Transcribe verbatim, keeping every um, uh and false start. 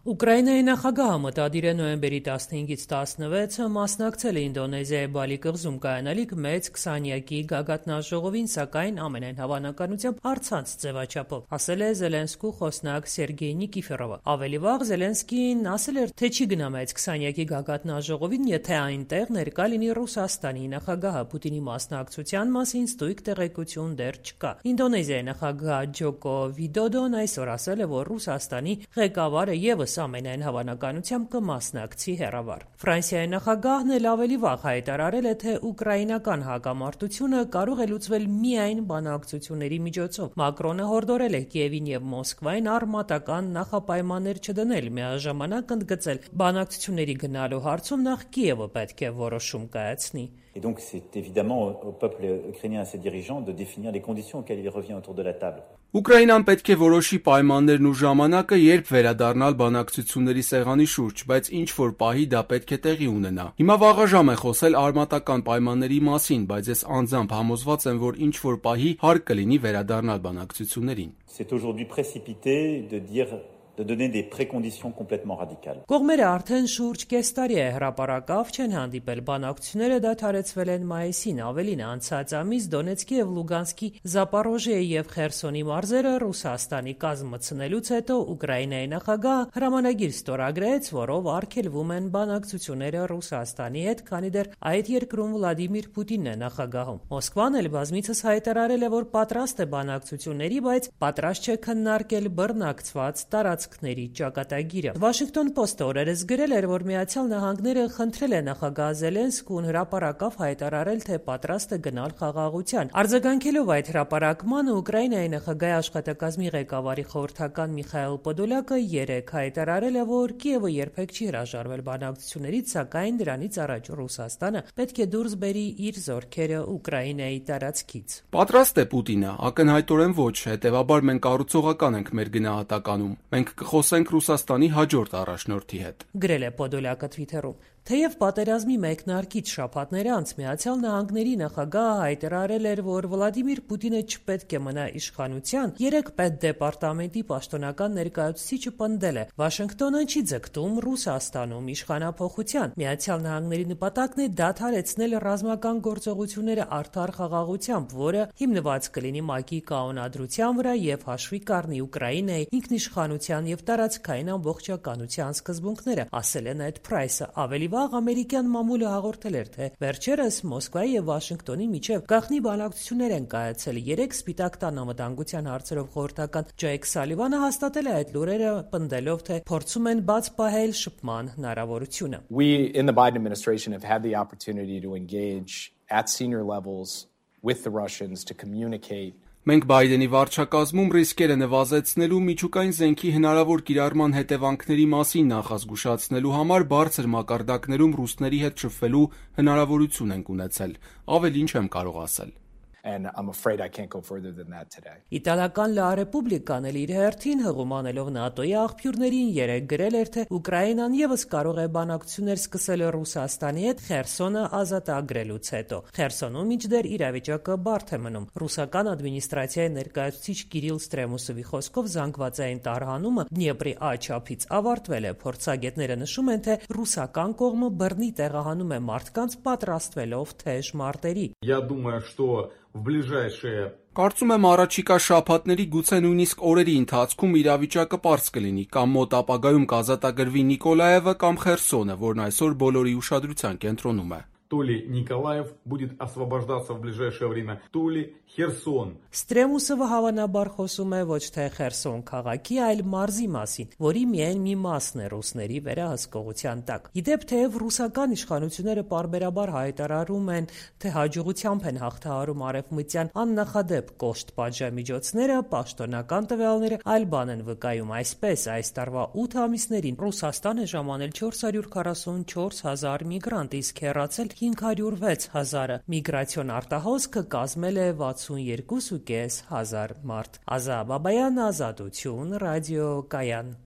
Ուկրաինայի նախագահը մտադիր է նոյեմբերի տասնհինգից տասնվեցը մասնակցել է Ինդոնեզիայի Բալի կղզում կայանալիք մեծ քսանյակի գագաթնաժողովին, սակայն ամենայն հավանականությամբ առցանց ձևաչափով, ասել է Զելենսկու խոսնակ Սերգեյ Նիկիֆորովը։ Ավելի վաղ Զելենսկին ասել էր, թե չի գնա մեծ քսանյակի գագաթնաժողովին, եթե այնտեղ ներկա լինի Ռուսաստանի նախագահը։ Պուտինի մասնակցության մասին ստույգ տեղեկություն դեռ չկա։ Ինդոնեզիայի նախագահ Ջոկո Վիդոդոն այսօր ասել է, որ Ռուսաստանի ղեկավարը ևս ամենայն հավանականությամբ կմասնակցի հեռավար։ Ֆրանսիայի նախագահն էլ ավելի վաղ հայտարարել է, թե ուկրաինական հակամարտությունը կարող է լուծվել միայն բանակցությունների միջոցով։ Մակրոնը հորդորել է Կիևին եւ Մոսկվային արմատական նախապայմաններ չդնել, միաժամանակ ընդգծել բանակցությունների գնալու հարցում նախ Կիևը պետք է որոշում կայացնի։ Et donc c'est évidemment au peuple ukrainien et à ses dirigeants de définir les conditions auxquelles il revient autour de la table. Ուկրաինան պետք է որոշի պայմաններն ու ժամանակը, երբ վերադառնալ բանակցությունների սեղանի շուրջ, բայց ինչ որ պահի դա պետք է տեղի ունենա։ Հիմա վաղաժամ է խոսել արմատական պայմանների մասին, բայց ես անձամբ համոզված եմ, որ ինչ որ պահի հարկ կլինի վերադառնալ բանակցություններին։ C'est aujourd'hui précipité de dire de donner des préconditions complètement radicales. Կողմերը արդեն շուրջ կես տարի է հրապարակավ չեն հանդիպել, բանակցությունները դադարեցվել են մայիսին, ավելին անցած ամիս Դոնեցկի եւ Լուգանսկի, Զապորոժիեի եւ Խերսոնի մարզերը Ռուսաստանի կազմը ցնելուց հետո Ուկրաինայի նախագահը հրամանագիր ստորագրեց, որով արգելվում են բանակցությունները Ռուսաստանի հետ, քանի դեռ այդ երկրում Վլադիմիր Պուտինն է նախագահում։ Մոսկվան էլ բազմիցս հայտարարել է, որ պատրաստ է բանակցությունների, բայց պատրաստ չէ քննարկել բռնակցված տարածքների ճակատագիրը։ Վաշինգտոն Պոստը օրերս գրել էր, որ Միացյալ Նահանգները խնդրել է նախագահ Զելենսկուն հրապարակավ հայտարարել, թե պատրաստ է գնալ խաղաղության։ Արձագանքելով այդ հրապարակմանը Ուկրաինայի նախագահի աշխատակազմի ղեկավարի խորհրդական Միխայել Պոդոլյակը երեկ հայտարարել է, որ Կիևը երբեք չի հրաժարվել բանակցություններից, սակայն դրանից առաջ Ռուսաստանը պետք է դուրս բերի իր զորքերը Ուկրաինայի տարածքից։ Պատրաստ է Պուտինը, ակնհայտորեն ոչ, հետևաբար մենք կառուցողական ենք մեր գնահատականում։ Մենք կխոսենք Ռուսաստանի հաջորդ առաջնորդի հետ։ Գրել է Պոդոլյակը Թվիթերում։ Թեև պատերազմի մեկնարկից շաբաթներ անց Միացյալ Նահանգների նախագահը հայտարարել էր, որ Վլադիմիր Պուտինը չպետք է մնա իշխանության, երեք պետդեպարտամենտի պաշտոնական ներկայացուցիչը պնդել է. Վաշինգտոնը չի ձգտում Ռուսաստանում իշխանափոխության։ Միացյալ Նահանգների նպատակն է դադարեցնել ռազմական գործողությունները արդար խաղաղությամբ, որը հիմնված կլինի ՄԱԿ-ի կանոնադրության վրա եւ հաշվի կառնի Ուկրաինայի ինքնիշխանության եւ տարածքային ամբողջականության սկզբունքները, ասել է Նեդ Փրայսը։ Ավելի վաղ ամերիկյան մամուլը հաղորդել էր, թե վերջերս Մոսկվայի եւ Վաշինգտոնի միջև գաղտնի բանակցություններ են կայացել։ Երեք Սպիտակ տան անվտանգության հարցերով խորհրդական Ջեյք Սալիվանը հաստատել է այդ լուրերը, պնդելով, թե փորձում են բաց պահել շփման հնարավորությունը։ We in the Biden administration have had the opportunity to engage at senior levels with the Russians to communicate. Մենք Բայդենի վարչակազմում ռիսկերը նվազեցնելու, միջուկային զենքի հնարավոր կիրառման հետևանքների մասին նախազգուշացնելու համար բարձր մակարդակներում ռուսների հետ շփվելու հնարավորություն ենք ունեցել։ Ավելին չեմ կարող ասել։ And I'm afraid I can't go further than that today. Իտալական Լա Ռեպուբլիկան էլ իր հերթին հղումանելով ՆԱՏՕ-ի աղբյուրներին երեկ գրել էր, թե Ուկրաինան եւս կարող է բանակցություններ սկսել Ռուսաստանի հետ Խերսոնը ազատագրելուց հետո։ Խերսոնում մինչդեռ իրավիճակը բարդ է մնում։ Ռուսական ադմինիստրացիայի ներկայացուցիչ Կիրիլ Ստրեմուսովի խոսքով զանգվածային տարհանումը Դնեպրի աչափից ավարտվել է։ Փորձագետները նշում են, թե ռուսական կողմը բռնի տեղահանում է մարդկանց պատրաստվելով թեժ մարտերի։ Я думаю, что в ближайшее Կարծում եմ առաջիկա շաբաթների, գուցե նույնիսկ օրերի ընթացքում իրավիճակը պարզ կլինի, կամ մոտ ապագայում կազատագրվի Նիկոլաևը կամ Խերսոնը, որն այսօր բոլորի ուշադրության կենտրոնում է։ То ли Николаев будет освобождаться в ближайшее время, то ли Херсон. Ստրեմուսովը հավանաբար խոսում է ոչ թե Խերսոն քաղաքի, այլ մարզի մասին, որի միայն մի մասն է ռուսների վերահսկողության տակ։ Իդեպ թեև ռուսական իշխանությունները պարբերաբար հայտարարում են, թե հաջողությամբ են հաղթահարում արևմտյան աննախադեպ կոշտ պատժամիջոցները, պաշտոնական տվյալները այլ բան են վկայում։ Այսպես, այս տարվա ութ ամիսներին Ռուսաստան է ժամանել չորս հարյուր քառասունչորս հազար միգրանտ, իսկ հեռացել հինգ հարյուր վեց հազարը։ Միգրացիոն արտահոսքը կազմել է վաթսունյոթ կես հազար մարդ։ Ազա Բաբայան, Ազատություն, ռադիո Կայան։